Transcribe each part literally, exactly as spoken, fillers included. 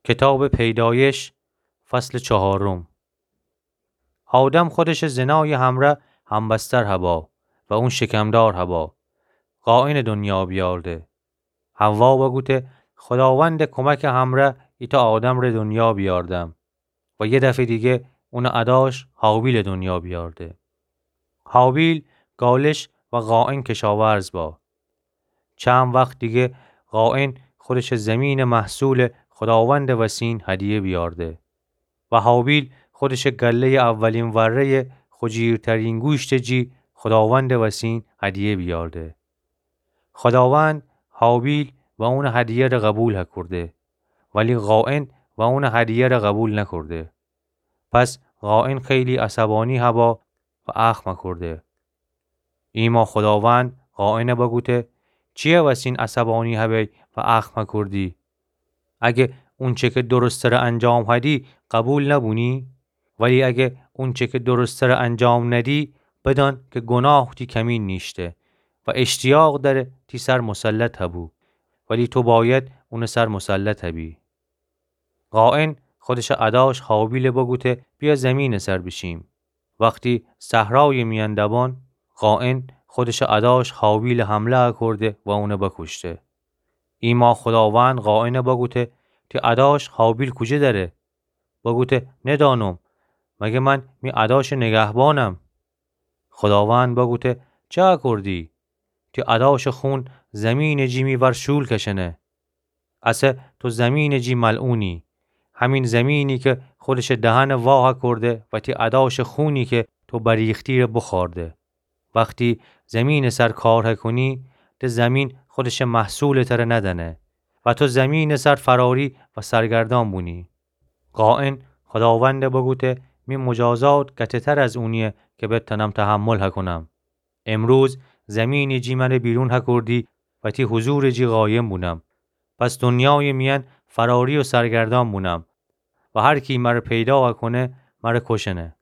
کتابٚ پیدایش، فصلٚ چهارم. آدم خودشٚ زنایٚ همره همبستر هبا و اون شکمدار هبا. قائنٚ دنیا بیارده. حوا بگوته، خوداوندٚ کمکٚ همره ایتأ آدمٚ دنیا بیاردم. و یه دفعه دیگه اونٚ اداش هابیلٚ دنیا بیارده. هابیل گالش و قائن کشاورز با. چند وخت دیگه قائن خودشٚ زمینٚ محصولٚ خوداوندٚ وسین هدیه بیارده و هابیل خودشٚ گله‌یٚ اولین وره‌یٚ خو جیرترین گوشتٚ جی خوداوندٚ وسین هدیه بیارده. خوداوند هابیل و اونٚ هدیه ره قبول هکورده، ولی قائن و اونٚ هدیه ره قبول نکورده. پس قائن خیلی عصبانی هبا و اخم هکورده. ایما خوداوند قائنه بگوته، چیه وسین عصبانی هبی و اخم هکوردی؟ اگه اونچه که درستٚ ره انجام هدی قبول نبونی؟ ولی اگه اونچه که درستٚ ره انجام ندی، بدان که گناه تی کمین نیشته و اشتیاق دأره تی سر مسلط هبو، ولی تو باید اونٚ سر مسلط هبی. قائن خودشٚ اداش هابیل بگوته، بیا زمینٚ سر بیشیم. وختی صحرایٚ میأن دبان، قائن خودشٚ اداش هابیل حمله هکورده و اونه بکوشته. ایما خوداوند قائنه بگوته، تی اداش هابیل کوجه دره؟ بگوته، ندانم، مگه من می اداشٚ نگهبانم؟ خوداوند بگوته، چه هکوردی؟ تی اداشٚ خون زمینٚ جی می ور شول کشنه. اسه تو زمینٚ جی ملعونی. همین زمینی که خودشٚ دهنه وا هکورده و تی اداشٚ خونی که تو بریختی ره بخورده. وختی زمینٚ سر کار هکونی، ده زمین خودشٚ محصولٚ تره ندنه و تو زمینٚ سر فراری و سرگردان بونی. قائن خوداونده بگوته، می مجازات گته‌تر از اونیه که بتأنم تحمل هکونم. امروز زمینٚ جی مره بیرون هکوردی و تی حضورٚ جی قایم بونم. پس دنیایٚ میأن فراری و سرگردان بونم و هر کی مره پیدا هکونه، مره کشنه.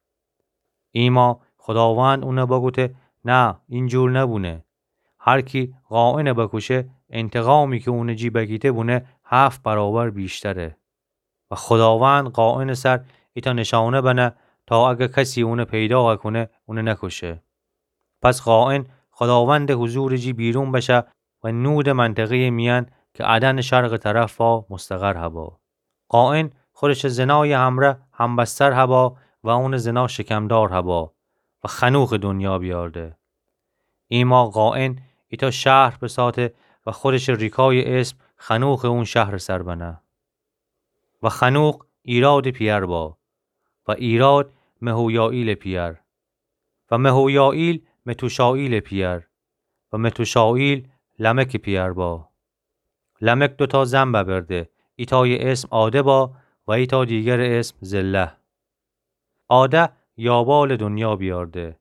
ایما خوداوند اونه بگوته، نه، اینجور نبونه. هر کی قائنه بکوشه، انتقامی که اونٚ جی بگیته بونه، هفت برابر ویشتره. و خوداوند قائنٚ سر ایتأ نشانه بنه تا اگه کسی اونه پیدا هکونه، اونه نکشه. پس قائن خوداوندٚ حضورٚ جی بیرون بشه و نودٚ منطقه‌یٚ میأن که عدنٚ شرقٚ طرف وا مستقر هبا. قائن خودشٚ زنایٚ همره همبستر هبا و اونٚ زنا شکمدار هبا و خنوخٚ دنیا بیارده. ایما قائن ایتأ شهر بساته و خودشٚ ریکایٚ اسم خنوخٚ اون شهرٚ سر بنه. و خنوخ ایرادٚ پیأر با، و ایراد مهویائیلٚ پیأر، و مهویائیل متوشائیلٚ پیأر، و متوشائیل لمکٚ پیأر با. لمک دوتا زن ببرده، ایتایٚ اسم عاده با و ایتا دیگرٚ اسم زله. عاده یابالٚ دنیا بیارده.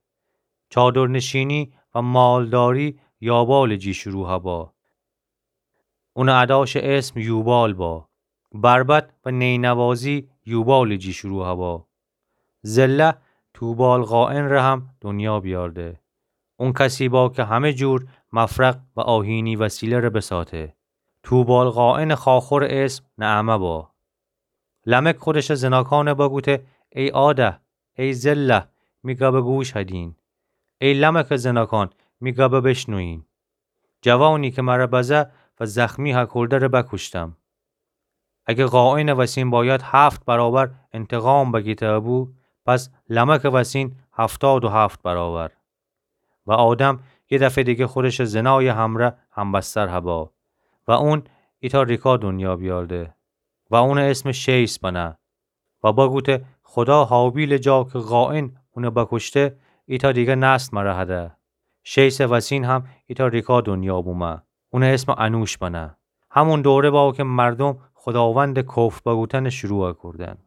چادرنشینی و مالداری یابالٚ جی شروع هبا. اونٚ اداشٚ اسم یوبال با. بربط و نینوازی یوبالٚ جی شروع هبا. زله توبال قائن ره هم دنیا بیارده. اون کسی با که همه جور مفرق و آهینی وسیله ره بساته. توبال قائنٚ خاخورٚ اسم نعمه با. لمک خودشٚ زناکانه بگوته، ای عاده، ای زله، می گبه گوش هدین. ای لمکٚ زناکان، می گبه بشنوین. جوانی که مره بزه و زخمی هکورده‌ره بکوشتم. اگه قائنٚ وسین باید هفت برابر انتقام بگیته بو، پس لمکٚ وسین هفتاد و هفت برابر. و آدم یه دفعه دیگه خودشٚ زنایٚ همره همبستر هبا و اون ایتا ریکا دنیا بیارده و اونٚ اسم شیث بنه و بگوته، خدا هابیلٚ جا که قائن اونه بکوشته، ایتا دیگه نسل مره هده. شیثٚ وسین هم ایتا ریکا دنیا بومه. اونٚ اسم انوش بنه. همون دوره با که مردم خداوندٚ کفر بگوتن شروع کردن.